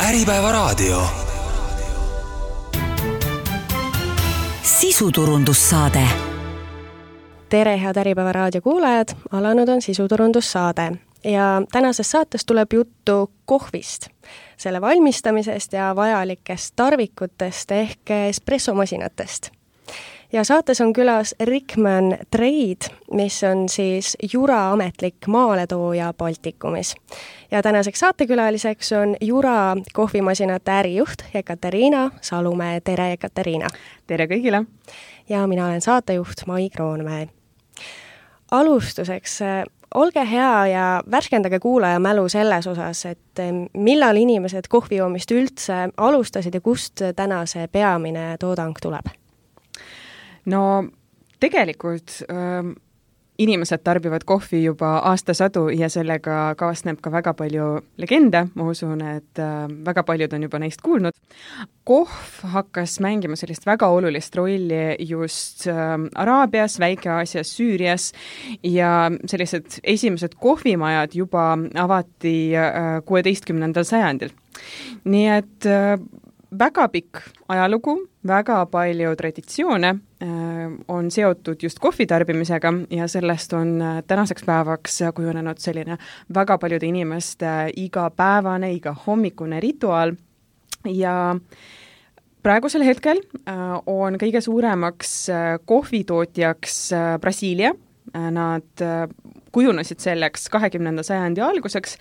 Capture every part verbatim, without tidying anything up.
Äripäevaraadio. Sisuturundussaade. Tere, head Äripäevaraadio kuulajad! Alanud on sisuturundussaade ja tänases saates tuleb juttu kohvist, selle valmistamisest ja vajalikest tarvikutest ehk espressomasinatest. Ja saates on külas Rickman Trade, mis on siis Jura ametlik maaletooja Baltikumis. Ja tänaseks saatekülaliseks on Jura kohvimasinate ärijuht Ekaterina Salumäe. Tere, Ekaterina! Tere kõigile! Ja mina olen saatejuht Mai Kroonmäe. Alustuseks, olge hea ja värskendage kuulaja mälu selles osas, et millal inimesed kohvijoomist üldse alustasid ja kust täna see peamine toodang tuleb? No tegelikult äh, inimesed tarbivad kohvi juba aastasadu ja sellega kaasneb ka väga palju legende, ma usun, et äh, väga paljud on juba neist kuulnud. Kohv hakkas mängima sellist väga olulist rolli just äh, Araabias, Väike-Aasias, Süürias ja sellised esimesed kohvimajad juba avati äh, kuueteistkümnendal sajandil. Nii et äh, väga pikk ajalugu, väga palju traditsioone äh, on seotud just kohvitarbimisega ja sellest on äh, tänaseks päevaks kujunenud selline väga paljude inimeste igapäevane, iga hommikune rituaal ja praegusel hetkel äh, on kõige suuremaks äh, kohvitootjaks äh, Brasiilia. Äh, nad äh, kujunesid selleks kahekümnenda sajandi alguseks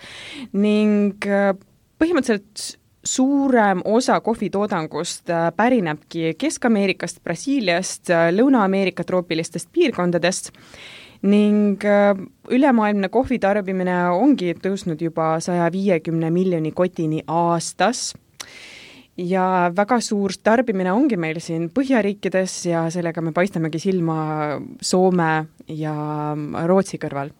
ning äh, põhimõtteliselt suurem osa kohvitoodangust pärinebki Kesk-Ameerikast, Brasiiliast, Lõuna-Ameerika troopilistest piirkondadest ning ülemaailmne kohvitarbimine ongi tõusnud juba saja viiekümne miljoni kotini aastas. Ja väga suur tarbimine ongi meil siin Põhjariikides ja sellega me paistamegi silma Soome ja Rootsi kõrval.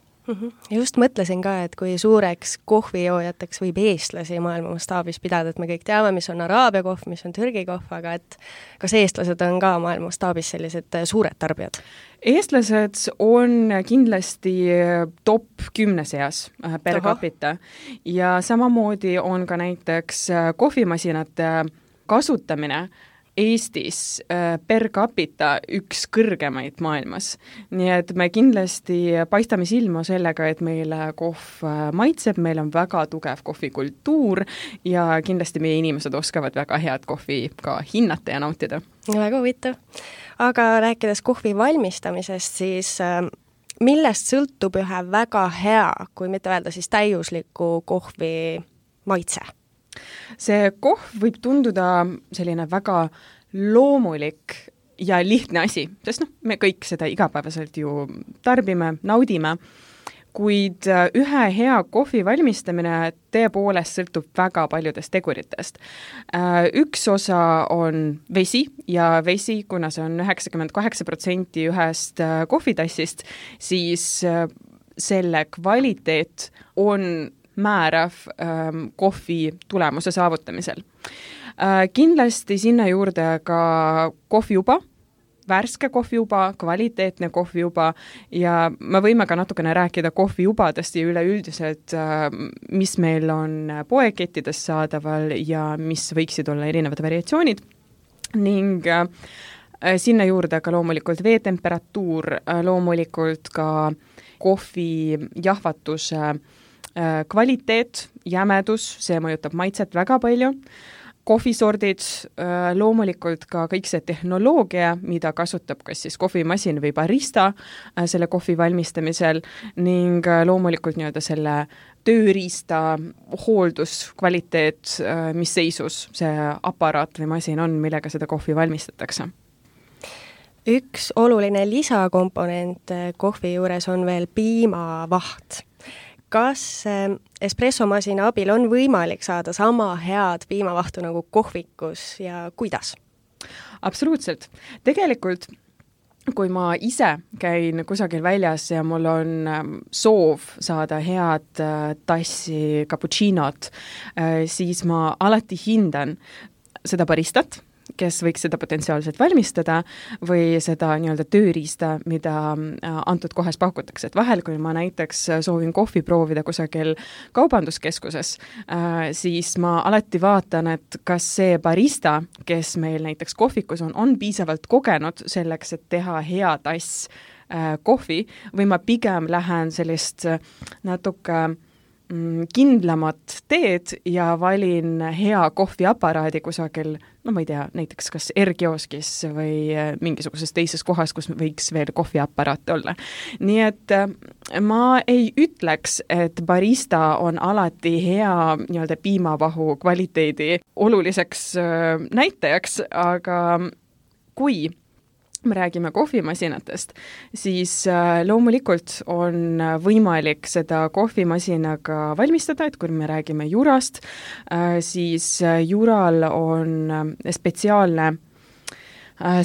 Just mõtlesin ka, et kui suureks kohvijoojateks võib eestlasi maailma mastaabis pidada, et me kõik teame, mis on Araabia kohv, mis on Türgi kohv, aga et kas eestlased on ka maailma mastaabis sellised suured tarbijad? Eestlased on kindlasti top kümne seas per capita ja samamoodi on ka näiteks kohvimasinate kasutamine Eestis per capita üks kõrgemaid maailmas. Nii et me kindlasti paistame silma sellega, et meile kohv maitseb, meil on väga tugev kohvikultuur ja kindlasti meie inimesed oskavad väga head kohvi ka hinnata ja nautida. Väga huvitav. Aga rääkides kohvi valmistamisest, siis millest sõltub ühe väga hea, kui mitte öelda siis täiusliku kohvi maitse? See kohv võib tunduda selline väga loomulik ja lihtne asi, sest noh, me kõik seda igapäevaselt ju tarbime, naudime, kuid ühe hea kohvi valmistamine tõepoolest sõltub väga paljudest teguritest. Üks osa on vesi ja vesi, kuna see on üheksakümmend kaheksa protsenti ühest kohvitassist, siis selle kvaliteet on määrav ähm, kohvi tulemuse saavutamisel. Äh, kindlasti sinna juurde ka kohviuba, värske kohviuba, kvaliteetne kohviuba ja me võime ka natukene rääkida kohviubadest ja üleüldiselt, äh, mis meil on poekettides saadaval ja mis võiksid olla erinevad variatsioonid ning äh, sinna juurde ka loomulikult veetemperatuur, äh, loomulikult ka kohvi jahvatuse kvaliteet, jämedus, see mõjutab maitset väga palju. Kohvisordid, loomulikult ka kõik see tehnoloogia, mida kasutab kas siis kohvimasin või barista selle kohvi valmistamisel ning loomulikult nii-öelda selle tööriista hooldus, kvaliteet, mis seisus see aparaat või masin on, millega seda kohvi valmistatakse. Üks oluline lisakomponent kohvi juures on veel piimavaht. Kas espressomasina abil on võimalik saada sama head piimavahtu nagu kohvikus ja kuidas? Absoluutselt. Tegelikult, kui ma ise käin kusagil väljas ja mul on soov saada head tassi cappuccinot, siis ma alati hindan seda baristat, kes võiks seda potentsiaalselt valmistada või seda nii-öelda tööriista, mida antud kohas pakutakse. Et vahel, kui ma näiteks soovin kohvi proovida kusagil kaubanduskeskuses, siis ma alati vaatan, et kas see barista, kes meil näiteks kohvikus on, on piisavalt kogenud selleks, et teha hea tass kohvi või ma pigem lähen sellist natuke kindlamat teed ja valin hea kohviaparaadi kusagil, no ma ei tea, näiteks kas R-kioskis või mingisuguses teises kohas, kus võiks veel kohviaparaat olla. Nii et ma ei ütleks, et barista on alati hea nii-öelda piimavahu kvaliteedi oluliseks näitajaks, aga kui me räägime kohvimasinatest, siis loomulikult on võimalik seda kohvimasinaga valmistada, et kui me räägime jurast, siis jural on spetsiaalne,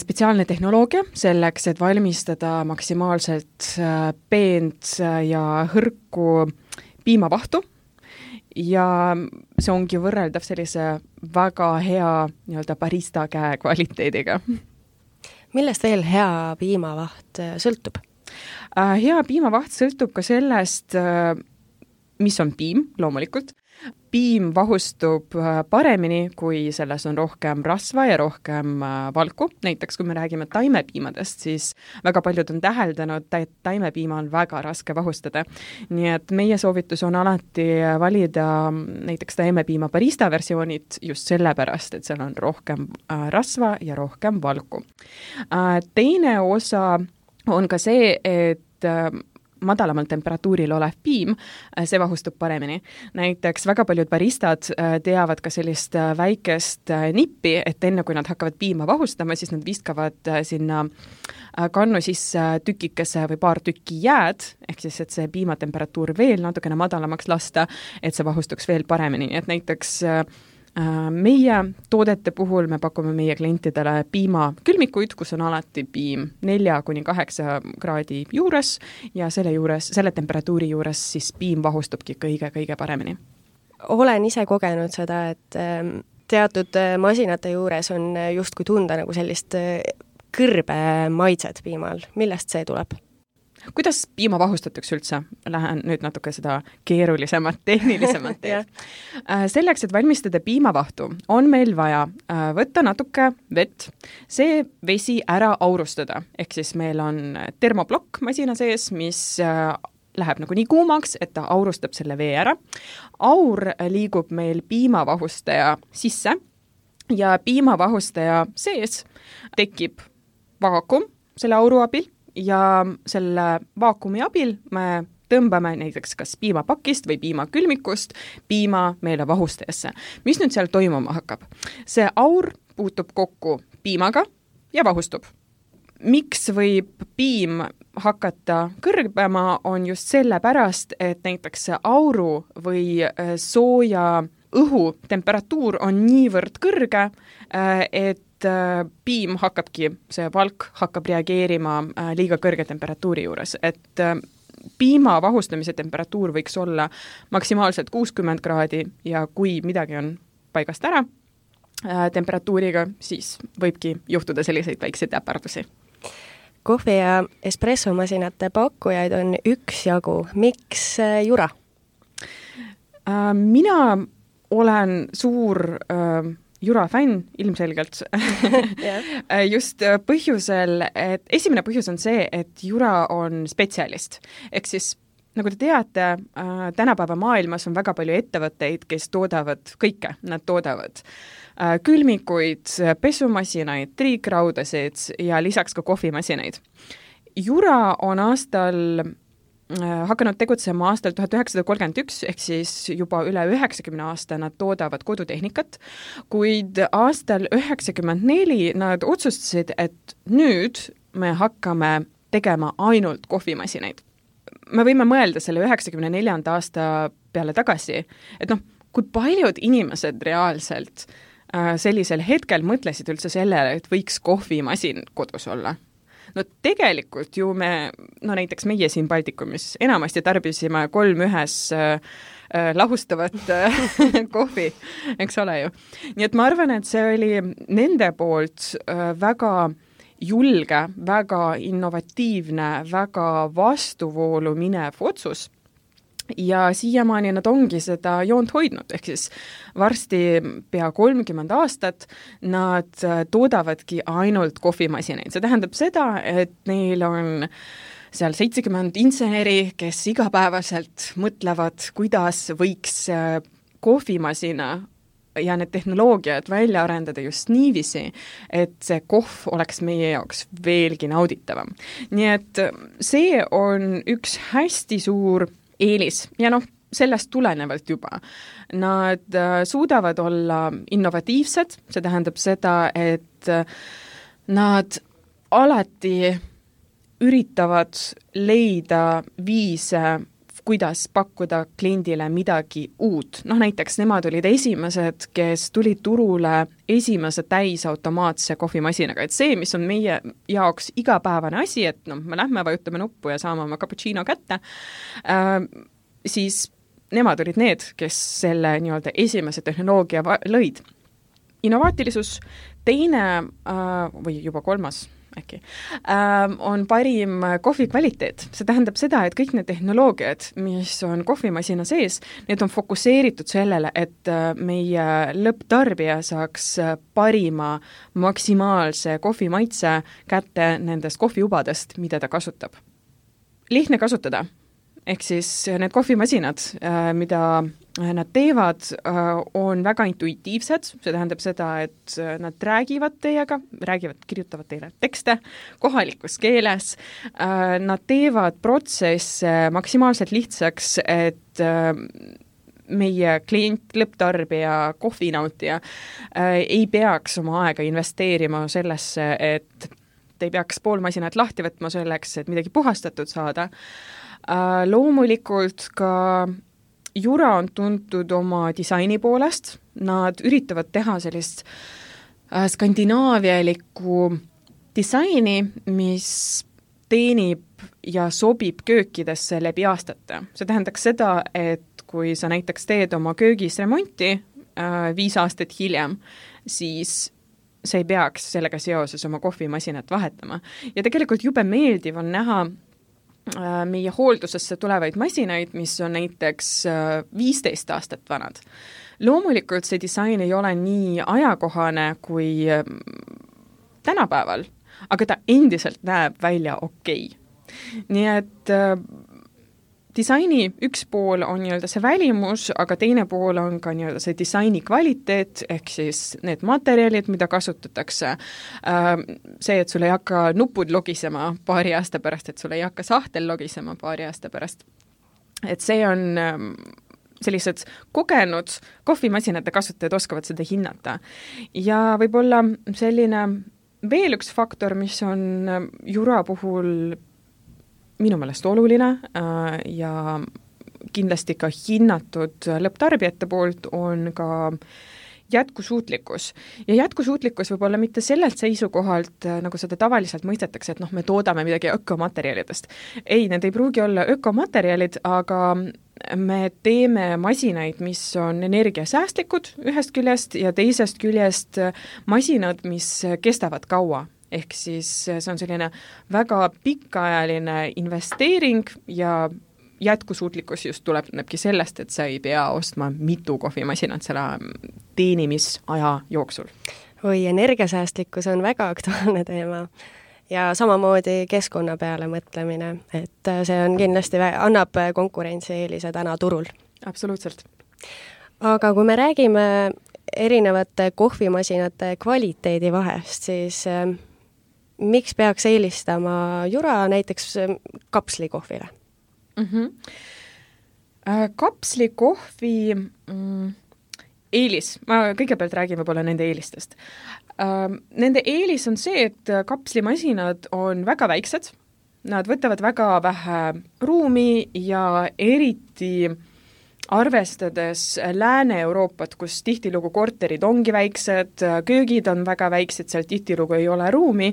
spetsiaalne tehnoloogia selleks, et valmistada maksimaalselt peent ja hõrku piimavahtu. Ja see ongi võrreldav sellise väga hea nii-öelda barista käe kvaliteediga. Millest veel hea piimavaht sõltub? Hea piimavaht sõltub ka sellest, mis on piim, loomulikult. Piim vahustub paremini, kui selles on rohkem rasva ja rohkem valku. Näiteks, kui me räägime taimepiimadest, siis väga paljud on täheldanud, et taimepiima on väga raske vahustada. Nii et meie soovitus on alati valida näiteks taimepiima barista versioonid just sellepärast, et seal on rohkem rasva ja rohkem valku. Teine osa on ka see, et madalamal temperatuuril olev piim, see vahustub paremini. Näiteks väga paljud baristad teavad ka sellist väikest nippi, et enne kui nad hakkavad piima vahustama, siis nad viskavad sinna kannu sisse tükikese või paar tükki jääd, ehk siis, et see piimatemperatuur veel natukene madalamaks lasta, et see vahustuks veel paremini. Et näiteks meie toodete puhul me pakume meie klientidele piimakülmikuid, kus on alati piim nelja kuni kaheksa kraadi juures ja selle juures, selle temperatuuri juures siis piim vahustubki kõige-kõige paremini. Olen ise kogenud seda, et teatud masinate juures on justkui tunda nagu sellist kõrbe maitset piimal. Millest see tuleb? Kuidas piima vahustatakse üldse? Lähen nüüd natuke seda keerulisemat, tehnilisemat teed. Selleks, et valmistada piimavahtu, on meil vaja võtta natuke vett, see vesi ära aurustada. Ehk siis meil on termoplokk masina sees, mis läheb nagu nii kuumaks, et ta aurustab selle vee ära. Aur liigub meil piimavahustaja sisse ja piimavahustaja sees tekib vaakum selle auru abil, ja selle vaakumi abil me tõmbame näiteks kas piimapakist või piimakülmikust piima meile vahustajasse. Mis nüüd seal toimuma hakkab? See aur puutub kokku piimaga ja vahustub. Miks võib piim hakata kõrbema, on just sellepärast, et näiteks see auru või sooja õhu temperatuur on niivõrd kõrge, et piim hakkabki, see valk hakkab reageerima liiga kõrge temperatuuri juures, et piima vahustamise temperatuur võiks olla maksimaalselt kuuskümmend kraadi ja kui midagi on paigast ära temperatuuriga, siis võibki juhtuda selliseid väikseid äpardusi. Kohvi- ja espressomasinate pakkujaid on üksjagu. Miks Jura? Mina olen suur Jura fänn ilmselgelt yeah. Just põhjusel, et esimene põhjus on see, et Jura on spetsialist. Ehk siis, nagu te teate, tänapäeva maailmas on väga palju ettevõtteid, kes toodavad kõike. Nad toodavad külmikuid, pesumasinaid, triikraudasid ja lisaks ka kohvimasinaid. Jura on aastal hakanud tegutsema aastal tuhat üheksasada kolmkümmend üks, ehk siis juba üle üheksakümne aasta nad toodavad kodutehnikat, kuid aastal üheksakümmend neli nad otsustasid, et nüüd me hakkame tegema ainult kohvimasinaid. Me võime mõelda selle üheksakümne neljanda aasta peale tagasi, et noh, kui paljud inimesed reaalselt sellisel hetkel mõtlesid üldse sellele, et võiks kohvimasin kodus olla. no tegelikult ju me, no näiteks meie siin Baltikumis enamasti tarbisime kolm ühes äh, lahustavat kohvi, eks ole ju. Nii et ma arvan, et see oli nende poolt väga julge, väga innovatiivne, väga vastuvoolu minev otsus ja siiamaani nad ongi seda joont hoidnud, ehk siis varsti pea kolmkümmend aastat nad toodavadki ainult kohvimasinaid. See tähendab seda, et neil on seal seitsekümmend inseneri, kes igapäevaselt mõtlevad, kuidas võiks kohvimasina ja need tehnoloogiad välja arendada just niiviisi, et see kohv oleks meie jaoks veelgi nauditavam. Nii et see on üks hästi suur eelis ja noh, sellest tulenevalt juba. Nad suudavad olla innovatiivsed, see tähendab seda, et nad alati üritavad leida viise, kuidas pakkuda kliendile midagi uut. Noh, näiteks nemad olid esimesed, kes tulid turule esimese täisautomaatse kohvimasinaga. Et see, mis on meie jaoks igapäevane asi, et noh, me lähme, vajutame nuppu ja saame oma cappuccino kätte, äh, siis nemad olid need, kes selle nii-öelda esimese tehnoloogia lõid. Innovaatilisus, teine äh, või juba kolmas äkki, ähm, on parim kohvi kvaliteet. See tähendab seda, et kõik need tehnoloogiad, mis on kohvimasina sees, need on fokuseeritud sellele, et meie lõpptarbija saaks parima maksimaalse kohvimaitse kätte nendest kohviubadest, mida ta kasutab. Lihtne kasutada. Ehk siis need kohvimasinad, mida nad teevad, on väga intuitiivsed, see tähendab seda, et nad räägivad teiega, räägivad, kirjutavad teile tekste kohalikus keeles, nad teevad protsesse maksimaalselt lihtsaks, et meie klient, lõpptarbija, kohvinautija ei peaks oma aega investeerima sellesse, et te ei peaks pool masinat lahti võtma selleks, et midagi puhastatud saada. Uh, loomulikult ka Jura on tuntud oma disaini poolest, nad üritavad teha sellist uh, skandinaavialikku disaini, mis teenib ja sobib köökidesse läbi aastate. See tähendaks seda, et kui sa näiteks teed oma köögis remonti uh, viis aastat hiljem, siis see ei peaks sellega seoses oma kohvimasinat vahetama. Ja tegelikult jube meeldiv on näha meie hooldusesse tulevaid masinaid, mis on näiteks viisteist aastat vanad. Loomulikult see disain ei ole nii ajakohane kui tänapäeval, aga ta endiselt näeb välja okei. Nii et disaini üks pool on nii-öelda see välimus, aga teine pool on ka nii-öelda see disaini kvaliteet, ehk siis need materjalid, mida kasutatakse. See, et sul ei hakka nupud logisema paari aasta pärast, et sul ei hakka sahtel logisema paari aasta pärast. Et see on sellised kogenud kohvimasinate kasutajad oskavad seda hinnata. Ja võib-olla selline veel üks faktor, mis on Jura puhul minu meelest oluline äh, ja kindlasti ka hinnatud lõpptarbijate poolt on ka jätkusuutlikkus. Ja jätkusuutlikkus võib olla mitte sellelt seisukohalt, nagu seda tavaliselt mõistetakse, et noh, me toodame midagi ökomaterjalidest. Ei, need ei pruugi olla ökomaterjalid, aga me teeme masinaid, mis on energiasäästlikud ühest küljest ja teisest küljest masinad, mis kestavad kaua. Ehk siis see on selline väga pikaajaline investeering ja jätkusuutlikkus just tulenebki sellest, et sa ei pea ostma mitu kohvimasinat selle teenimisaja jooksul. Oi, energiasäästlikkus on väga aktuaalne teema ja samamoodi keskkonna peale mõtlemine, et see on kindlasti, annab konkurentsieelise täna turul. Absoluutselt. Aga kui me räägime erinevate kohvimasinate kvaliteedi vahest, siis miks peaks eelistama Jura näiteks kapslikohvile? Mm-hmm. Kapslikohvi mm, eelis, ma kõigepealt räägin võib-olla nende eelistest. Nende eelis on see, et kapslimasinad on väga väiksed, nad võtavad väga vähe ruumi ja eriti arvestades Lääne-Euroopat, kus tihtilugu korterid ongi väiksed, köögid on väga väiksed, seal tihtilugu ei ole ruumi,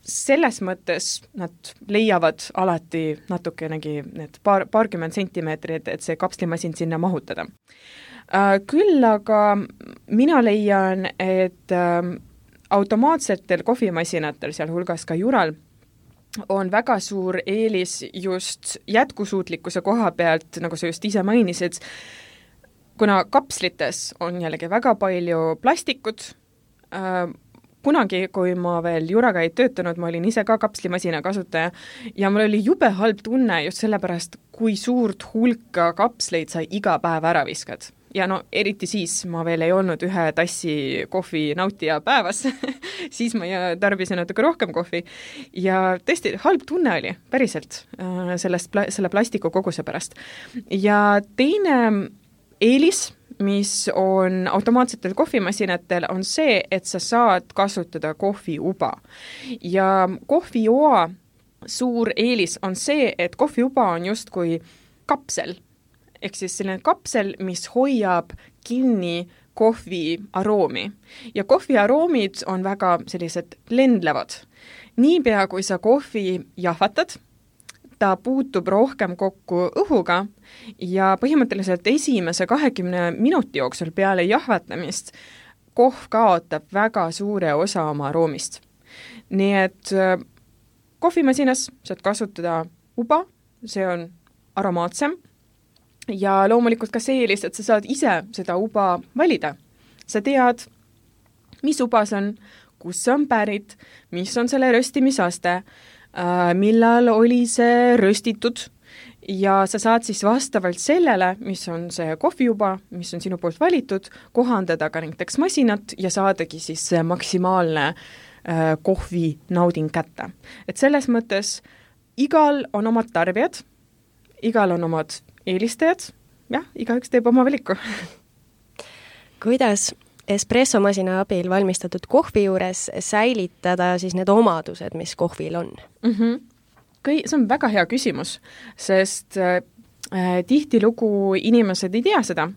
selles mõttes nad leiavad alati natukenegi need paar, paarkümmend sentimeetrit, et see kapslimasin sinna mahutada. Küll aga mina leian, et automaatsetel kohvimasinatel, sealhulgas ka Jural, on väga suur eelis just jätkusuutlikkuse koha pealt, nagu sa just ise mainisid, kuna kapslites on jällegi väga palju plastikut. Kunagi, kui ma veel Juraga ei töötanud, ma olin ise ka kapslimasina kasutaja ja mul oli jube halb tunne just sellepärast, kui suurt hulka kapsleid sa iga päev ära viskad. Ja no eriti siis ma veel ei olnud ühe tassi kohvi nautija päevas, siis ma tarbisin natuke rohkem kohvi ja tõesti halb tunne oli päriselt sellest, selle plastiku koguse pärast. Ja teine eelis, mis on automaatsetel kohvimasinatel, on see, et sa saad kasutada kohviuba. Ja kohvioa suur eelis on see, et kohviuba on justkui kapsel, ehk siis selline kapsel, mis hoiab kinni kohvi aroomi. Ja kohvi aroomid on väga sellised lendlevad. Niipea, kui sa kohvi jahvatad, ta puutub rohkem kokku õhuga ja põhimõtteliselt esimese kahekümne minuti jooksul peale jahvatamist kohv kaotab väga suure osa oma aroomist. Nii et kohvimasinas saad kasutada uba, see on aromaatsem ja loomulikult ka see eelis, et sa saad ise seda uba valida. Sa tead, mis uba see on, kus see on pärit, mis on selle röstimisaste, millal oli see röstitud ja sa saad siis vastavalt sellele, mis on see kohviuba, mis on sinu poolt valitud, kohandada ka näiteks masinat ja saadagi siis see maksimaalne äh, kohvi nauding kätte. Et selles mõttes igal on omad tarbijad, igal on omad eelistajad, jah, igaüks teeb oma valiku. Kuidas espressomasina abil valmistatud kohvi juures säilitada siis need omadused, mis kohvil on? Mm-hmm. Kõi, see on väga hea küsimus, sest äh, tihtilugu inimesed ei tea seda,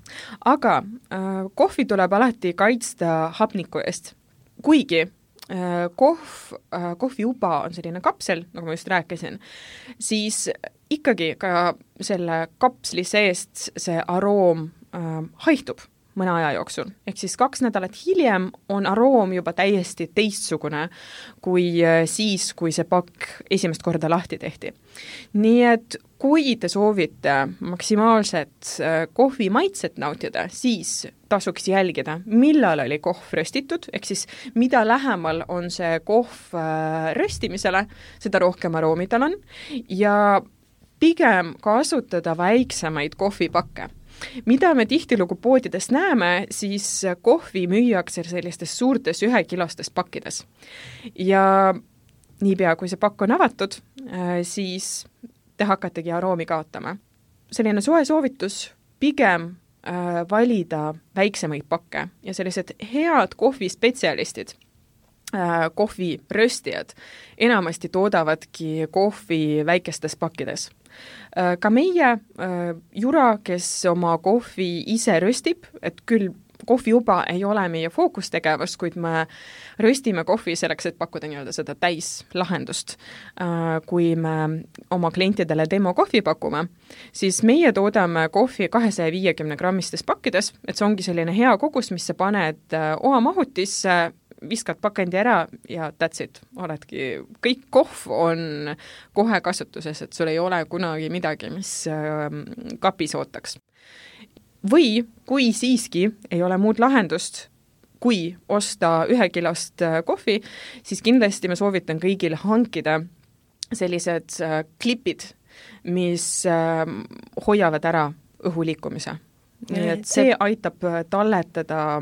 aga äh, kohvi tuleb alati kaitsta hapniku eest. Kuigi äh, kohv, äh, kohviuba on selline kapsel, nagu ma just rääkisin, siis ikkagi ka selle kapsli seest see aroom äh, haihtub mõne aja jooksul. Ehk siis kaks nädalat hiljem on aroom juba täiesti teistsugune kui siis, kui see pakk esimest korda lahti tehti. Nii et kui te soovite maksimaalset kohvi maitset nautida, siis tasuks jälgida, millal oli kohv röstitud, ehk siis mida lähemal on see kohv röstimisele, seda rohkem aroomi tal on ja pigem kasutada väiksemaid kohvipakke. Mida me tihtilugu poodides näeme, siis kohvi müüakse sellistes suurtes ühekilostes pakkides. Ja niipea, kui see pakk on avatud, siis te hakkategi aroomi kaotama. Selline soe soovitus pigem valida väiksemaid pakke ja sellised head kohvispetsialistid, kohviröstijad enamasti toodavadki kohvi väikestes pakkides. Ka meie Jura, kes oma kohvi ise röstib, et küll kohviuba ei ole meie fookustegevus, kuid me röstime kohvi selleks, et pakkuda nii-öelda seda täislahendust. Kui me oma klientidele demo kohvi pakume, siis meie toodame kohvi kahesaja viiekümne grammistes pakkides, et see ongi selline hea kogus, mis sa paned oa mahutisse, viskad pakendi ära ja that's it. Oledki, kõik kohv on kohe kasutuses, et sul ei ole kunagi midagi, mis kapis ootaks. Või kui siiski ei ole muud lahendust, kui osta ühekilost kohvi, siis kindlasti ma soovitan kõigil hankida sellised klipid, mis hoiavad ära õhu liikumise. Nii et see aitab talletada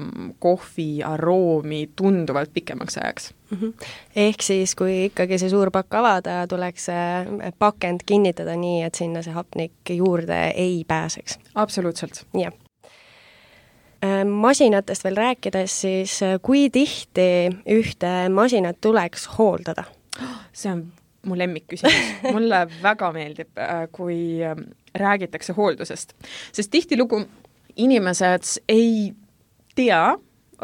kohvi aroomi tunduvalt pikemaks ajaks. Mm-hmm. Ehk siis, kui ikkagi see suur pakk avada, tuleks pakend kinnitada nii, et sinna see hapnik juurde ei pääseks. Absoluutselt. Jah. Masinatest veel rääkides, siis kui tihti ühte masinat tuleks hooldada? See on mu lemmikküsimus. Mulle väga meeldib, kui räägitakse hooldusest, sest tihtilugu inimesed ei tea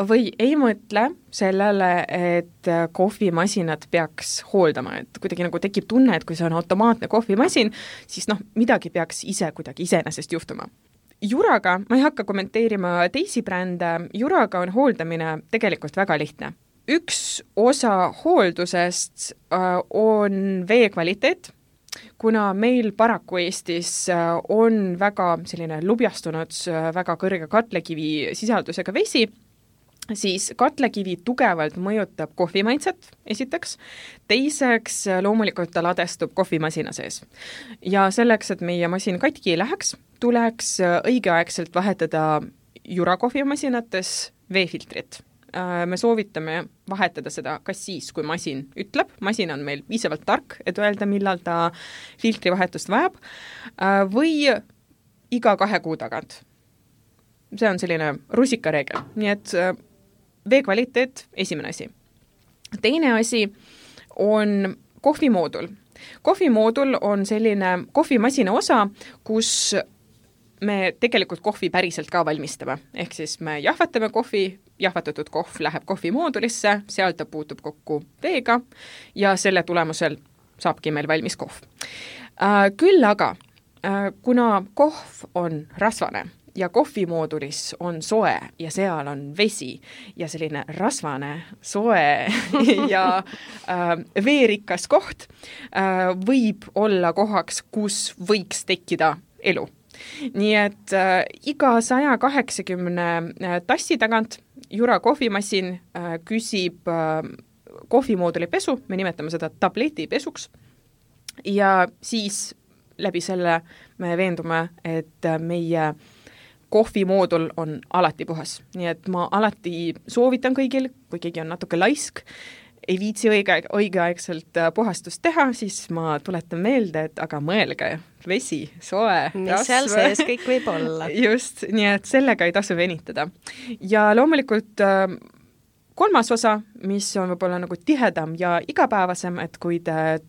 või ei mõtle sellele, et kohvimasinad peaks hooldama, et kuidagi nagu tekib tunne, et kui see on automaatne kohvimasin, siis noh, midagi peaks ise kuidagi iseenesest juhtuma. Juraga, ma ei hakka kommenteerima teisi brände, Juraga on hooldamine tegelikult väga lihtne. Üks osa hooldusest on vee kvaliteet, kuna meil paraku Eestis on väga selline lubjastunud, väga kõrge katlekivi sisaldusega vesi, siis katlekivi tugevalt mõjutab kohvimaitset, esiteks. Teiseks, loomulikult ta ladestub kohvimasina sees. Ja selleks, et meie masin katki ei läheks, tuleks õigeaegselt vahetada Jura kohvimasinates veefiltrit. Me soovitame vahetada seda kas siis, kui masin ütleb. Masin on meil piisavalt tark, et öelda, millal ta filtrivahetust vajab, või iga kahe kuu tagant. See on selline rusikareegel. Nii et vee kvaliteet, esimene asi. Teine asi on kohvimoodul. Kohvimoodul on selline kohvimasina osa, kus me tegelikult kohvi päriselt ka valmistame. Ehk siis me jahvatame kohvi, jahvatatud kohv läheb kohvimoodulisse, seal ta puutub kokku veega ja selle tulemusel saabki meil valmis kohv. Küll aga, kuna kohv on rasvane, ja kohvimoodulis on soe ja seal on vesi ja selline rasvane, soe ja äh, veerikas koht äh, võib olla kohaks, kus võiks tekkida elu. Nii et äh, iga saja kaheksakümne tassi tagant Jura kohvimasin äh, küsib äh, kohvimooduli pesu, me nimetame seda tabletipesuks, ja siis läbi selle me veendume, et meie kohvimoodul on alati puhas. Nii et ma alati soovitan kõigil, kui keegi on natuke laisk, ei viitsi õige, õigeaegselt puhastust teha, siis ma tuletan meelde, et aga mõelge, vesi, soe, mis rasv. Seal sees kõik võib olla. Just, nii et sellega ei tasu venitada. Ja loomulikult kolmas osa, mis on võib-olla nagu tihedam ja igapäevasem, et kui te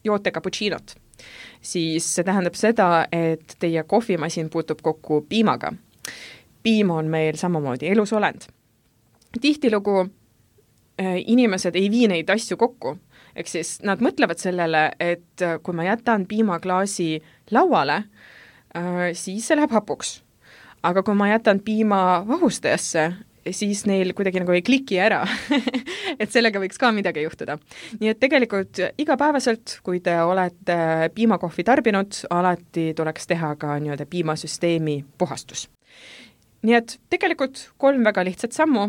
joote cappuccinot, siis see tähendab seda, et teie kohvimasin puutub kokku piimaga. Piim on meil samamoodi elusolend. Tihtilugu äh, inimesed ei vii neid asju kokku, ehk siis nad mõtlevad sellele, et kui ma jätan piimaklaasi lauale, äh, siis see läheb hapuks. Aga kui ma jätan piima vahustajasse, siis neil kuidagi nagu ei kliki ära, et sellega võiks ka midagi juhtuda. Nii et tegelikult igapäevaselt, kui te olete piimakohvi tarbinud, alati tuleks teha ka nii-öelda piimasüsteemi puhastus. Nii et tegelikult kolm väga lihtsat sammu.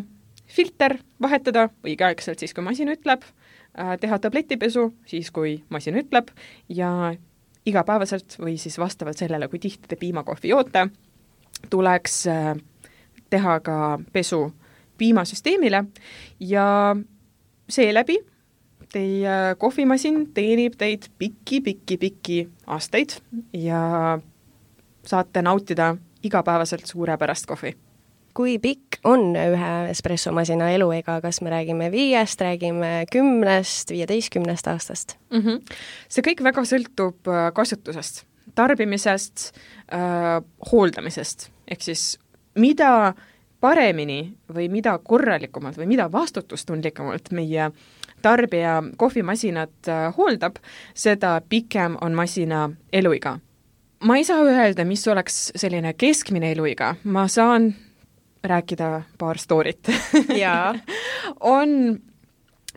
Filter vahetada õigeaegselt siis, kui masin ütleb, teha tabletipesu siis, kui masin ütleb, ja igapäevaselt või siis vastavalt sellele, kui tihti te piimakohvi joote, tuleks teha ka pesu piimasüsteemile ja seeläbi teie kohvimasin teenib teid pikki-pikki-pikki aastaid ja saate nautida igapäevaselt suurepärast kohvi. Kui pikk on ühe espressomasina eluiga, kas me räägime viiest, räägime kümnest, viieteistkümnest aastast? Mm-hmm. See kõik väga sõltub kasutusest, tarbimisest, äh, hooldamisest, ehk siis mida paremini või mida korralikumalt või mida vastutustundlikumalt meie tarbija kohvimasinat hooldab, seda pikem on masina eluiga. Ma ei saa öelda, mis oleks selline keskmine eluiga. Ma saan rääkida paar stoorit. Jaa. on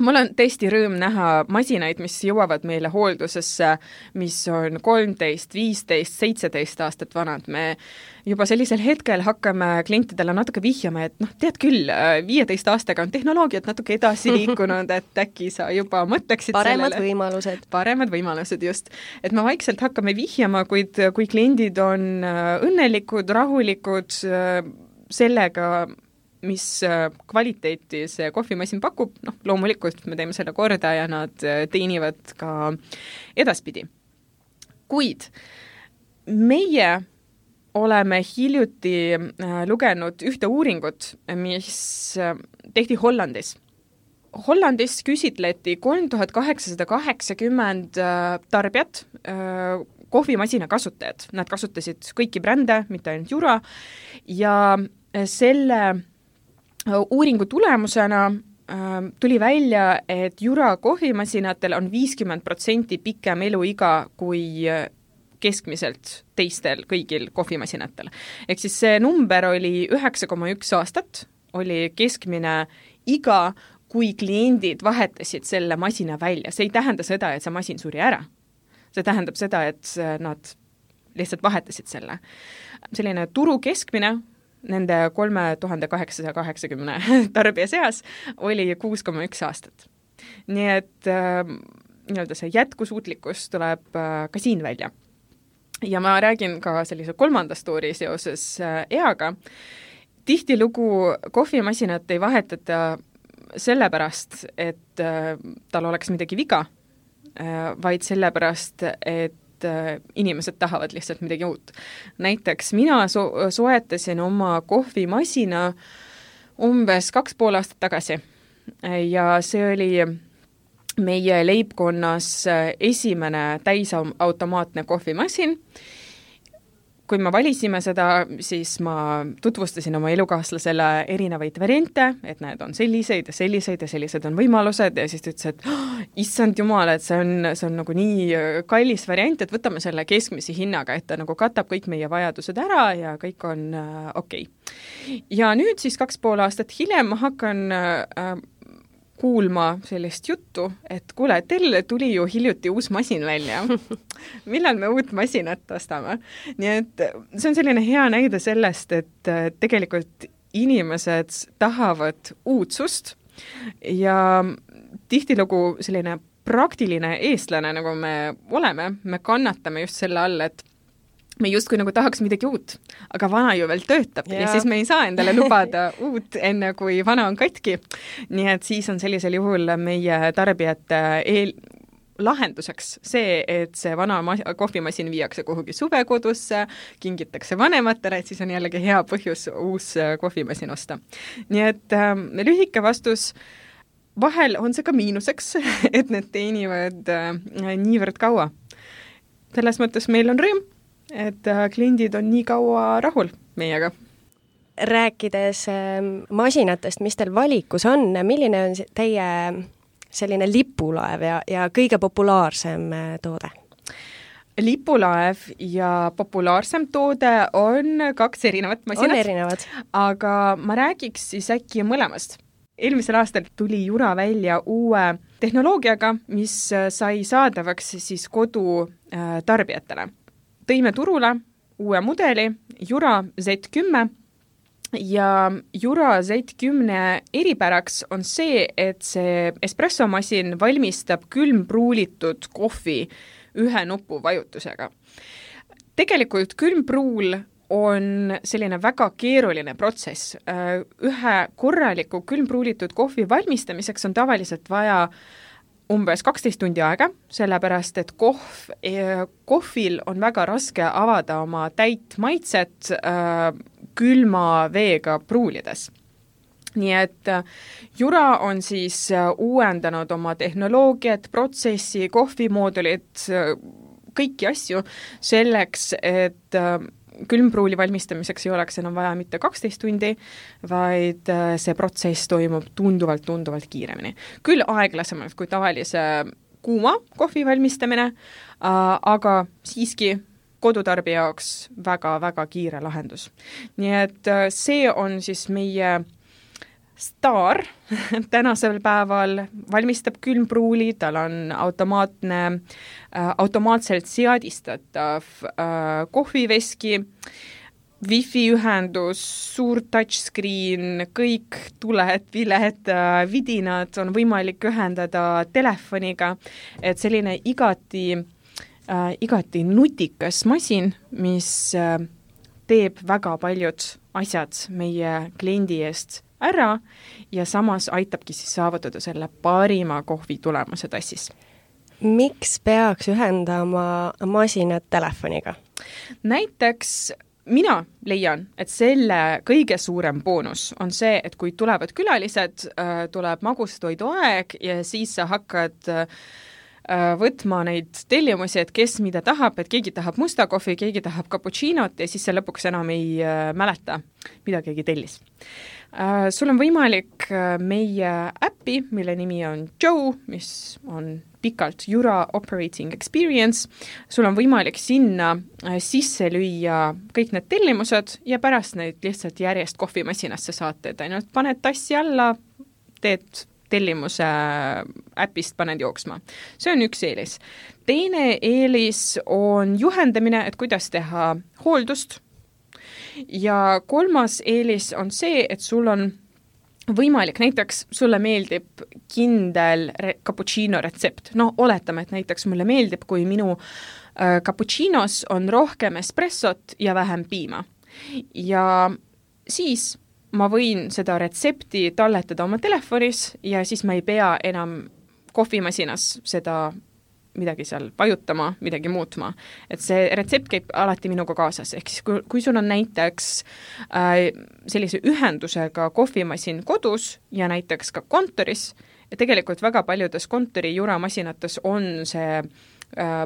Mul on tõesti rõõm näha masinaid, mis jõuavad meile hooldusesse, mis on kolmteist, viisteist, seitseteist aastat vanad. Me juba sellisel hetkel hakkame klientidele natuke vihjama, et noh, tead küll, viieteist aastaga on tehnoloogiat natuke edasi liikunud, et äkki sa juba mõtleksid paremad sellele. võimalused. Paremad võimalused, just. Et me vaikselt hakkame vihjama, kuid kui kliendid on õnnelikud, rahulikud sellega, mis kvaliteeti see kohvimasin pakub, noh, loomulikult me teeme selle korda ja nad teenivad ka edaspidi. Kuid meie oleme hiljuti lugenud ühte uuringut, mis tehti Hollandis. Hollandis küsitleti kolm tuhat kaheksasada kaheksakümmend tarbijat, kohvimasina kasutajad. Nad kasutasid kõiki brände, mitte ainult Jura, ja selle uuringu tulemusena tuli välja, et Jura kohvimasinatel on viiskümmend protsenti pikem eluiga kui keskmiselt teistel kõigil kohvimasinatel. Ehk siis see number oli üheksa koma üks aastat, oli keskmine iga, kui kliendid vahetasid selle masina välja. See ei tähenda seda, et see masin suri ära. See tähendab seda, et nad lihtsalt vahetasid selle. Selline turu keskmine nende kolme tuhande kaheksasada kaheksakümne tarbija seas oli kuus koma üks aastat. Nii et äh, nii-öelda see jätkusuutlikkus tuleb äh, ka siin välja. Ja ma räägin ka sellise kolmanda story seoses äh, eaga. Tihtilugu kohvimasinat ei vahetata sellepärast, et äh, tal oleks midagi viga, äh, vaid sellepärast, et inimesed tahavad lihtsalt midagi uut. Näiteks mina so- soetasin oma kohvimasina umbes kaks pool aastat tagasi ja see oli meie leibkonnas esimene täisautomaatne kohvimasin. Kui me valisime seda, siis ma tutvustasin oma elukaaslasele erinevaid variante, et need on selliseid ja selliseid ja sellised on võimalused ja siis ta ütles, et oh, issand jumal, et see on, see on nagu nii kallis variant, et võtame selle keskmise hinnaga, et ta nagu katab kõik meie vajadused ära ja kõik on äh, okei. Okay. Ja nüüd siis kaks pool aastat hiljem ma hakkan äh, kuulma sellist juttu, et kuule, teil tuli ju hiljuti uus masin välja. Millal me uut masinat ostame? Nii et see on selline hea näide sellest, et tegelikult inimesed tahavad uudsust ja tihtilugu selline praktiline eestlane, nagu me oleme, me kannatame just selle all, et me justkui nagu tahaks midagi uut, aga vana ju veel töötab ja, ja siis me ei saa endale lubada uut enne, kui vana on katki. Nii et siis on sellisel juhul meie tarbijate eel lahenduseks see, et see vana mas- kohvimasin viiakse kuhugi suvekodusse, kingitakse vanematele, et siis on jällegi hea põhjus uus kohvimasin osta. Nii et äh, lühike vastus, vahel on see ka miinuseks, et need teenivad äh, niivõrd kaua. Selles mõttes meil on rõõm, et kliendid on nii kaua rahul meiega. Rääkides masinatest, mis teil valikus on, milline on teie selline lipulaev ja, ja kõige populaarsem toode? Lipulaev ja populaarsem toode on kaks erinevat masinat. On erinevad. Aga ma räägiks siis äkki mõlemast. Eelmisel aastal tuli Jura välja uue tehnoloogiaga, mis sai saadavaks siis kodu tarbijatele. Tõime turule uue mudeli, Jura Z kümme, ja Jura Z kümme eripäraks on see, et see espressomasin valmistab külmpruulitud kohvi ühe nupu vajutusega. Tegelikult külmpruul on selline väga keeruline protsess. Ühe korraliku külmpruulitud kohvi valmistamiseks on tavaliselt vaja umbes kaksteist tundi aega, sellepärast, et kohv, kohvil on väga raske avada oma täit maitset äh, külma veega pruulides. Nii et äh, Jura on siis äh, uuendanud oma tehnoloogiat, protsessi, kohvimoodulit, äh, kõiki asju selleks, et äh, külmpruuli valmistamiseks ei oleks enam vaja mitte kaksteist tundi, vaid see protsess toimub tunduvalt, tunduvalt kiiremini. Küll aeglasemalt kui tavalise kuuma kohvi valmistamine, aga siiski kodutarbija jaoks väga, väga kiire lahendus. Nii et see on siis meie staar tänasel päeval, valmistab külmpruuli, tal on automaatne, äh, automaatselt seadistatav äh, kohviveski, wifi ühendus, suur touchscreen, kõik tuled, viled, äh, vidinad on võimalik ühendada telefoniga, et selline igati, äh, igati nutikas masin, mis äh, teeb väga paljud asjad meie kliendi eest ära ja samas aitabki siis saavutada selle parima kohvi tulemuse tassis. Miks peaks ühendama masinat telefoniga? Näiteks mina leian, et selle kõige suurem boonus on see, et kui tulevad külalised, tuleb magustoiduaeg ja siis sa hakkad võtma neid tellimusi, et kes mida tahab, et keegi tahab musta kohvi, keegi tahab cappuccinot ja siis sa lõpuks enam ei mäleta, mida keegi tellis. Sul on võimalik meie äppi, mille nimi on Joe, mis on pikalt Jura Operating Experience, sul on võimalik sinna sisse lüüa kõik need tellimused ja pärast neid lihtsalt järjest kohvimasinasse saate, et ainult paned tassi alla, teed tellimuse äpist paned jooksma. See on üks eelis. Teine eelis on juhendamine, et kuidas teha hooldust. Ja kolmas eelis on see, et sul on võimalik, näiteks sulle meeldib kindel re- cappuccino retsept. No oletame, et näiteks mulle meeldib, kui minu äh, cappuccinos on rohkem espressot ja vähem piima. Ja siis ma võin seda retsepti talletada oma telefonis ja siis ma ei pea enam kohvimasinas seda midagi seal vajutama, midagi muutma. Et see retsept käib alati minuga kaasas. Ehk siis kui, kui sul on näiteks äh, sellise ühendusega kohvimasin kodus ja näiteks ka kontoris, ja tegelikult väga paljudes kontori juramasinates on see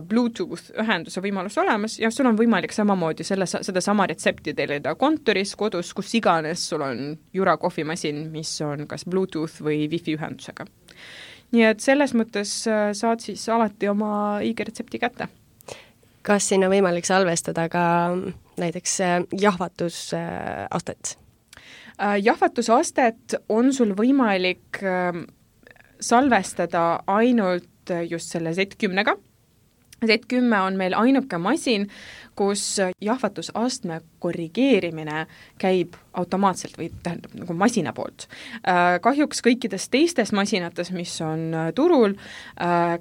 Bluetooth ühenduse võimalus olemas ja sul on võimalik samamoodi selle, seda sama retsepti tellida kontoris, kodus, kus iganes sul on jura kohvimasin, mis on kas Bluetooth või Wi-Fi ühendusega. Nii et selles mõttes saad siis alati oma õige retsepti kätte. Kas sinna võimalik salvestada ka näiteks jahvatusastet? Jahvatusastet on sul võimalik salvestada ainult just selle Z kümnega. Z kümme on meil ainuke masin, kus jahvatusastme korrigeerimine käib automaatselt või tähendab nagu masina poolt. Kahjuks kõikides teistes masinates, mis on turul,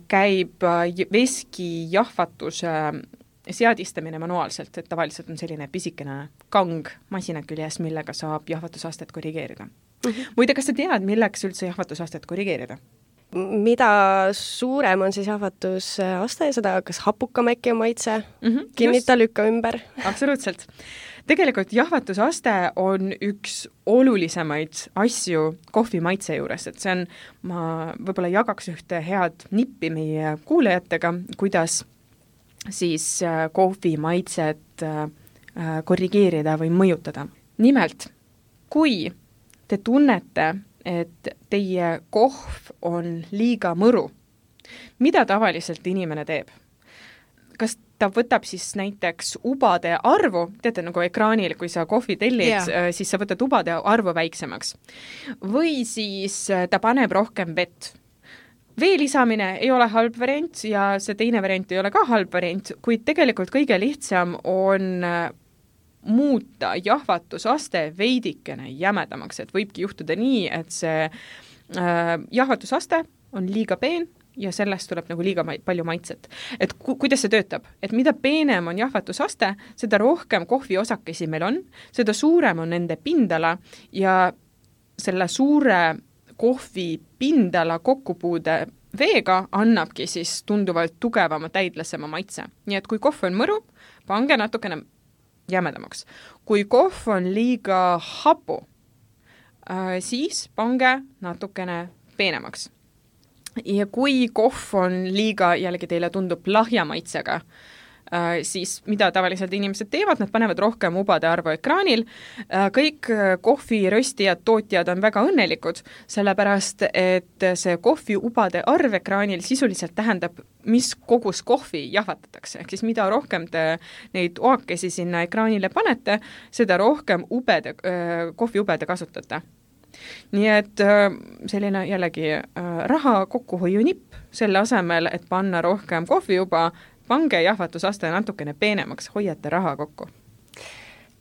käib veski jahvatuse seadistamine manuaalselt, et tavaliselt on selline pisikene kang masina küljes, millega saab jahvatusastet korrigeerida. Mm-hmm. Muide, kas sa tead, milleks üldse jahvatusastet korrigeerida? Mida suurem on siis jahvatusaste, seda kas hapukam äkki on maitse? Mm-hmm, Kinnita just. Lükka ümber. Absoluutselt. Tegelikult jahvatusaste on üks olulisemaid asju kohvi maitse juures, et see on, ma võib-olla jagaks ühte head nippi meie kuulajatega, kuidas siis kohvi maitset korrigeerida või mõjutada. Nimelt, kui te tunnete, et teie kohv on liiga mõru. Mida tavaliselt inimene teeb? Kas ta võtab siis näiteks ubade arvu, teate nagu ekraanil, kui sa kohvi tellid, yeah. siis sa võtad ubade arvu väiksemaks. Või siis ta paneb rohkem vett. Vee lisamine ei ole halb variant ja see teine variant ei ole ka halb variant, kuid tegelikult kõige lihtsam on muuta jahvatusaste veidikene jämedamaks, et võibki juhtuda nii, et see äh, jahvatusaste on liiga peen ja sellest tuleb nagu liiga ma- palju maitset. Et ku- kuidas see töötab? Et mida peenem on jahvatusaste, seda rohkem kohviosakesi meil on, seda suurem on nende pindala ja selle suure kohvi pindala kokkupuude veega annabki siis tunduvalt tugevama, täidlasema maitse. Nii et kui kohv on mõru, pange natukene jämedamaks. Kui kohv on liiga hapu, siis pange natukene peenemaks. Ja kui kohv on liiga, jällegi teile tundub lahja maitsega, siis mida tavaliselt inimesed teevad, nad panevad rohkem ubade arvu ekraanil. Kõik kohviröstijad, tootjad on väga õnnelikud, sellepärast et see kohvi ubade arv ekraanil sisuliselt tähendab, mis kogus kohvi jahvatatakse. Ehk siis mida rohkem te neid oakesi sinna ekraanile panete, seda rohkem ubede, kohviubede kasutate. Nii et selline jällegi raha kokkuhoiu nipp selle asemel, et panna rohkem kohviuba, pange jahvatusaste natukene peenemaks, hoiate raha kokku.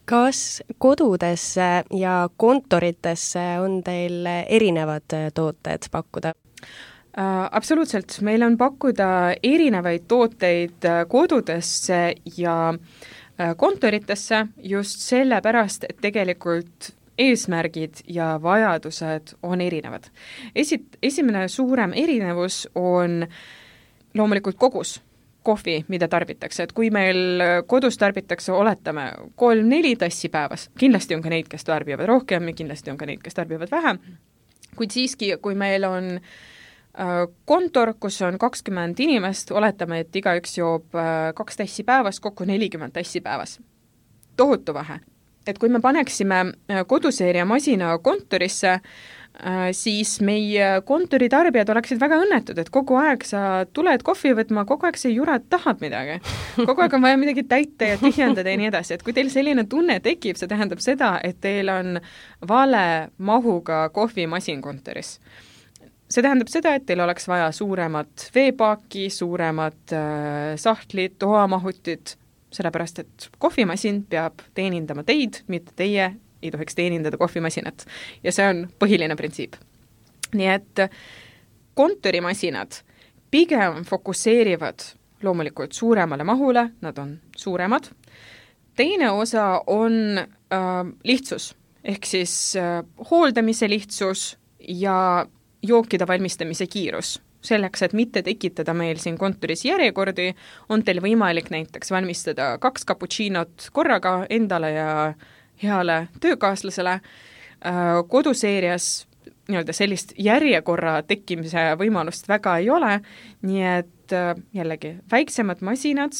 Kas kodudesse ja kontoritesse on teil erinevad tooted pakkuda? Uh, absoluutselt, meil on pakkuda erinevaid tooteid kodudesse ja uh, kontoritesse just sellepärast, et tegelikult eesmärgid ja vajadused on erinevad. Esi- esimene suurem erinevus on loomulikult kogus. kohvi, mida tarbitakse, et kui meil kodus tarbitakse, oletame, kolm-neli tassi päevas, kindlasti on ka neid, kes tarbivad rohkem ja kindlasti on ka neid, kes tarbivad vähem, kuid siiski, kui meil on kontor, kus on kakskümmend inimest, oletame, et igaüks joob kaks tassi päevas, kokku nelikümmend tassi päevas. Tohutu vähe. Et kui me paneksime koduseeria masina kontorisse, siis meie kontoritarbijad oleksid väga õnnetud, et kogu aeg sa tuled kohvi võtma, kogu aeg sa jurad tahad midagi. Kogu aeg on vaja midagi täita ja tühjendada ja nii edasi, et kui teil selline tunne tekib, see tähendab seda, et teil on vale mahuga kohvimasin kontoris. See tähendab seda, et teil oleks vaja suuremat veepaaki, suuremat äh, sahtlit, toamahutit, sellepärast, et kohvimasin peab teenindama teid, mitte teie ei tohiks teenindada kohvimasinat. Ja see on põhiline printsiip. Nii et kontorimasinad pigem fokusseerivad loomulikult suuremale mahule, nad on suuremad. Teine osa on äh, lihtsus, ehk siis äh, hooldamise lihtsus ja jookide valmistamise kiirus. Selleks, et mitte tekitada meil siin kontoris järjekordi, on teil võimalik näiteks valmistada kaks cappuccinot korraga endale ja heale töökaaslasele. Koduseerias nii-öelda sellist järjekorra tekkimise võimalust väga ei ole, nii et jällegi väiksemad masinad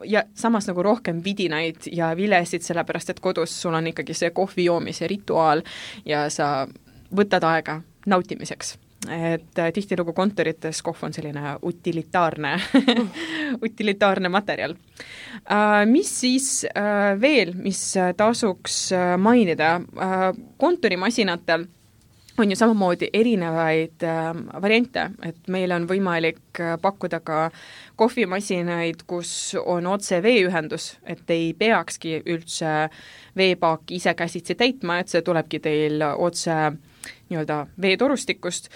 ja samas nagu rohkem vidinaid ja vilesid, sellepärast et kodus sul on ikkagi see kohvi joomise rituaal ja sa võtad aega nautimiseks. Et tihtilugu kontorites kohv on selline utilitaarne, utilitaarne materjal. Mis siis veel, mis tasuks mainida? Kontorimasinatel on ju samamoodi erinevaid variante, et meil on võimalik pakkuda ka kohvimasinaid, kus on otse veeühendus, et ei peakski üldse veepaaki ise käsitsi täitma, et see tulebki teil otse nii-öelda veetorustikust.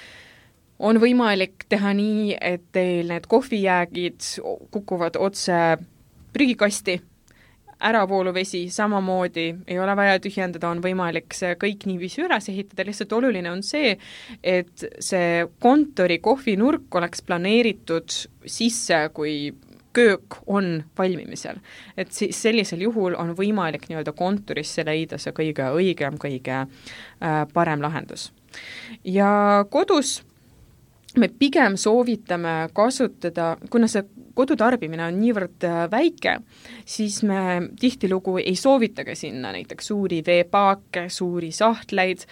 On võimalik teha nii, et teil need kohvijäägid kukuvad otse prügikasti, äravooluvesi samamoodi, ei ole vaja tühjendada, on võimalik see kõik niiviisi üles ehitada, lihtsalt oluline on see, et see kontori kohvinurk oleks planeeritud sisse, kui köök on valmimisel. Et siis sellisel juhul on võimalik nii-öelda kontorisse leida see kõige õigem, kõige äh, parem lahendus. Ja kodus me pigem soovitame kasutada, kuna see kodutarbimine on niivõrd väike, siis me tihtilugu ei soovitagi sinna näiteks suuri veepaake, suuri sahtleid.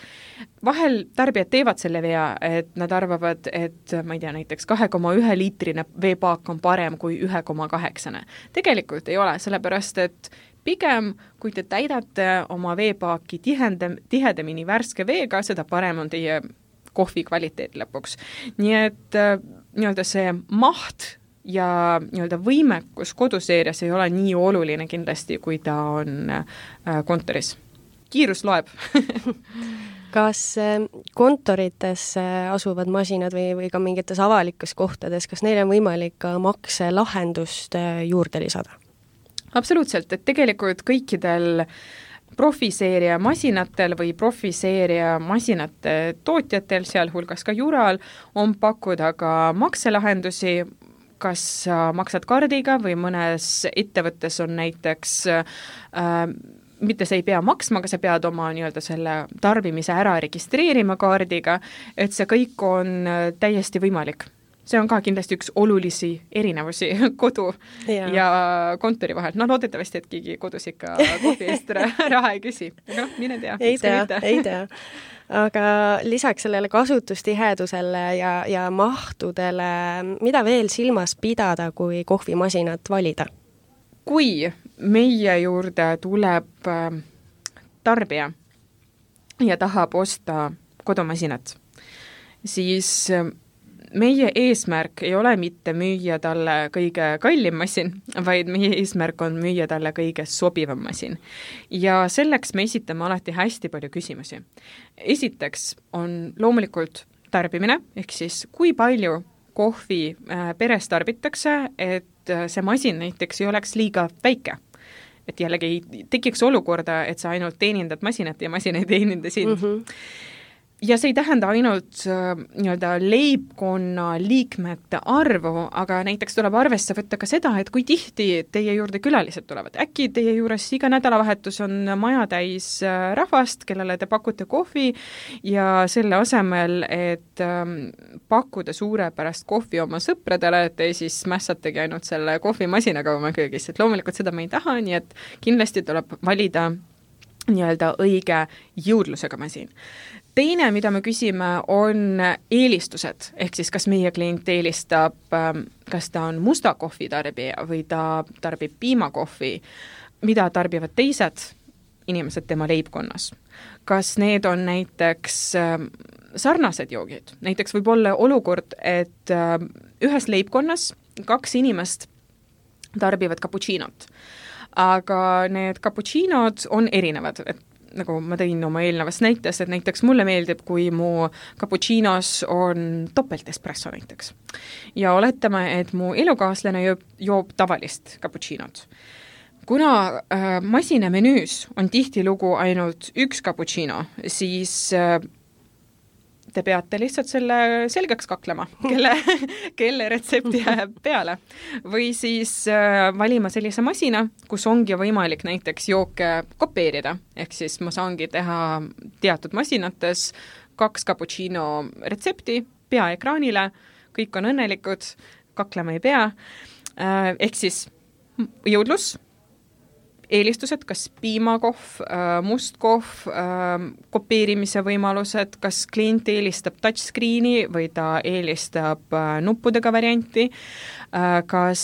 Vahel tarbijad teevad selle vea, et nad arvavad, et ma ei tea, näiteks kahe koma ühe liitrine veepaak on parem kui üks koma kaheksa. Tegelikult ei ole, sellepärast et pigem, kui te täidate oma veepaaki tihendam, tihedamini värske veega, seda parem on teie kohvi kvaliteet lõpuks. Nii et nii-öelda see maht ja nii-öelda võimekus koduseerias ei ole nii oluline kindlasti, kui ta on kontoris. Kiirus loeb. Kas kontorites asuvad masinad või, või ka mingites avalikus kohtades, kas neil on võimalik ka makselahendust juurde lisada? Absoluutselt, et tegelikult kõikidel profiseeria masinatel või profiseeria masinate tootjatel, sealhulgas ka Jural, on pakkuda ka makselahendusi, kas maksad kaardiga või mõnes ettevõttes on näiteks, äh, mitte sa ei pea maksma, aga sa pead oma nii-öelda selle tarbimise ära registreerima kaardiga, et see kõik on täiesti võimalik. See on ka kindlasti üks olulisi erinevusi kodu ja, ja kontori vahel. No loodetavasti, et keegi kodus ikka kohvi eest raha ei küsi. No, mine tea. Ei tea, ei tea. Aga lisaks sellele kasutustihedusele ja, ja mahtudele, mida veel silmas pidada, kui kohvimasinat valida? Kui meie juurde tuleb tarbija ja tahab osta kodumasinat, siis meie eesmärk ei ole mitte müüa talle kõige kallim masin, vaid meie eesmärk on müüa talle kõige sobivam masin. Ja selleks me esitame alati hästi palju küsimusi. Esiteks on loomulikult tarbimine, ehk siis kui palju kohvi peres tarbitakse, et see masin näiteks ei oleks liiga väike. Et jällegi ei tekiks olukorda, et sa ainult teenindad masinat ja masin ei teeninda sind. Mm-hmm. ja see ei tähenda ainult äh, nii-öelda leibkonna liikmete arvu, aga näiteks tuleb arvesse võtta ka seda, et kui tihti teie juurde külalised tulevad. Äkki teie juures iga nädalavahetus on maja täis äh, rahvast, kellele te pakute kohvi ja selle asemel, et äh, pakkuda suurepärast kohvi oma sõpradele, et te siis mässategi ainult selle kohvimasinaga oma köögis. Et loomulikult seda me ei taha, nii et kindlasti tuleb valida nii-öelda õige jõudlusega masin. Teine, mida me küsime, on eelistused, ehk siis kas meie klient eelistab, kas ta on musta kohvi tarbija või ta tarbib piimakohvi, mida tarbivad teised inimesed tema leibkonnas. Kas need on näiteks sarnased joogid? Näiteks võib olla olukord, et ühes leibkonnas kaks inimest tarbivad cappuccinot, aga need cappuccinod on erinevad, et nagu ma tõin oma eelnevas näites, et näiteks mulle meeldib, kui mu cappuccinos on topelt espresso näiteks. Ja oletame, et mu elukaaslane joob, joob tavalist cappuccinot. Kuna äh, masina menüüs on tihtilugu ainult üks cappuccino, siis äh, te peate lihtsalt selle selgeks kaklema, kelle, kelle retsepti jääb peale. Või siis äh, valima sellise masina, kus ongi võimalik näiteks jooke kopeerida. Ehk siis ma saangi teha teatud masinates kaks cappuccino retsepti pea ekraanile, kõik on õnnelikud, kaklema ei pea. Äh, ehk siis jõudlus, eelistused, kas piimakohv, mustkohv, kopeerimise võimalused, kas klient eelistab touchscreeni või ta eelistab nuppudega varianti, kas,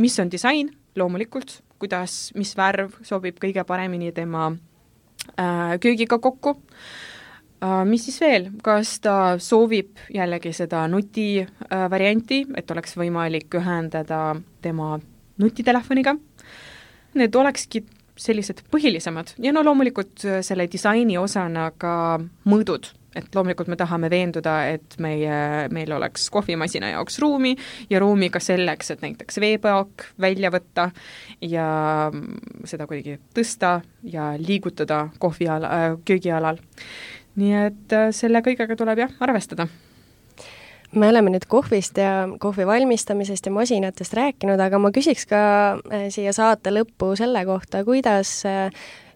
mis on disain, loomulikult, kuidas, mis värv sobib kõige paremini tema köögiga kokku, mis siis veel, kas ta soovib jällegi seda nuti varianti, et oleks võimalik ühendada tema nutitelefoniga. Need olekski sellised põhilisemad ja no loomulikult selle disaini osana ka mõõdud, et loomulikult me tahame veenduda, et meie, meil oleks kohvimasina jaoks ruumi ja ruumi ka selleks, et näiteks veepaak välja võtta ja seda kuidagi tõsta ja liigutada kohviala, köögialal. Nii et selle kõigega tuleb jah arvestada. Me oleme nüüd kohvist ja kohvi valmistamisest ja masinatest rääkinud, aga ma küsiks ka siia saate lõppu selle kohta, kuidas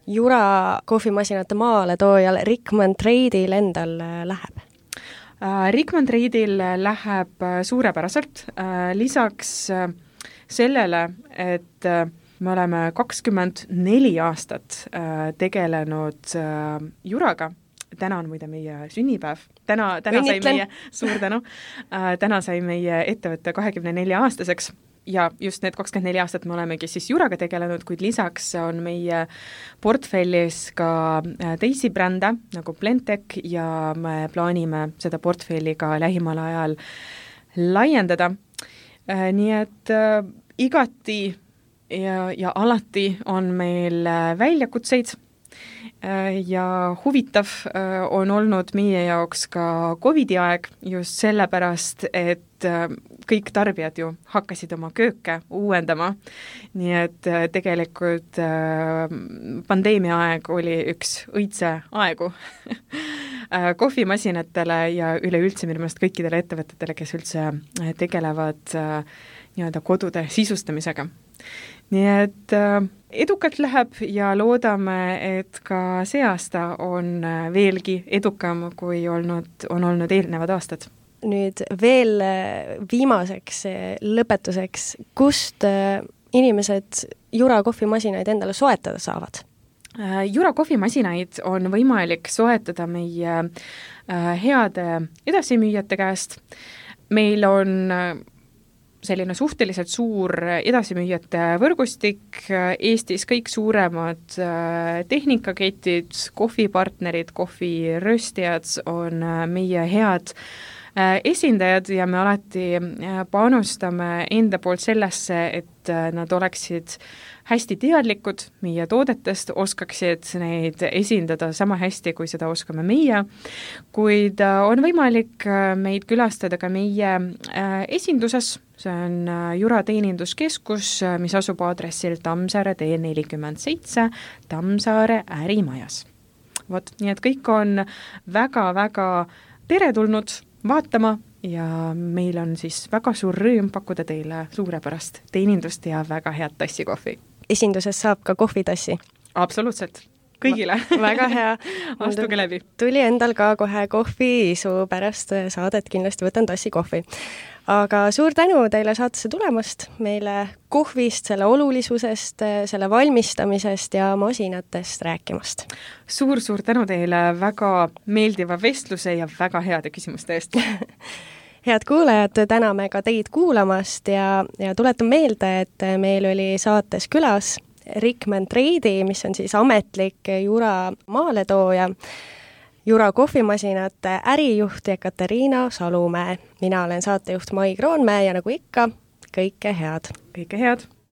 Jura kohvimasinate maale toojal Rickman Trade'il endal läheb? Rickman Trade'il läheb suurepäraselt. Lisaks sellele, et me oleme kakskümmend neli aastat tegelenud Juraga, täna on muide meie sünnipäev. Täna, täna sai meie, suur tänu, äh, täna sai meie ettevõtte kahekümne nelja aastaseks ja just need kakskümmend neli aastat me olemegi siis Juraga tegelenud, kuid lisaks on meie portfellis ka teisi brände nagu Blendtec ja me plaanime seda portfelli ka lähimal ajal laiendada. Äh, nii et äh, igati ja, ja alati on meil väljakutseid ja huvitav on olnud meie jaoks ka Covidi aeg just sellepärast, et kõik tarbijad ju hakkasid oma kööke uuendama, nii et tegelikult pandeemia aeg oli üks õitse aegu kohvimasinatele ja üleüldse minu meelest kõikidele ettevõtetele, kes üldse tegelevad nii-öelda kodude sisustamisega. Nii et edukalt läheb ja loodame, et ka see aasta on veelgi edukam, kui olnud, on olnud eelnevad aastad. Nüüd veel viimaseks lõpetuseks, kust inimesed Jura kohvimasinaid endale soetada saavad? Jura kohvimasinaid on võimalik soetada meie heade edasimüüjate käest. Meil on selline suhteliselt suur edasimüüjate võrgustik, Eestis kõik suuremad tehnikaketid, kohvipartnerid, kohviröstijad on meie head esindajad ja me alati panustame enda poolt sellesse, et nad oleksid hästi teadlikud meie toodetest, oskaksid neid esindada sama hästi, kui seda oskame meie, kuid on võimalik meid külastada ka meie esinduses, see on Jura teeninduskeskus, mis asub aadressil Tammsaare tee nelikümmend seitse Tammsaare ärimajas. vot, nii et kõik on väga-väga teretulnud vaatama ja meil on siis väga suur rõõm pakkuda teile suurepärast teenindust ja väga head tassi kohvi. Esinduses saab ka kohvitassi? Absoluutselt, kõigile. Väga hea. Astuge läbi. Tuli endal ka kohe kohviisu pärast saadet, kindlasti võtan tassi kohvi. Aga suur tänu teile saatesse tulemast, meile kohvist, selle olulisusest, selle valmistamisest ja masinatest rääkimast. Suur-suur tänu teile väga meeldiva vestluse ja väga heade küsimuste eest. Head kuulajad, täname ka teid kuulamast ja, ja tuletan meelde, et meil oli saates külas Rikman Treidi, mis on siis ametlik Jura maaletooja, Jura kohvimasinate ärijuht Ekaterina Salumäe. Mina olen saatejuht Mai Kroonmäe ja nagu ikka, kõike head! Kõike head!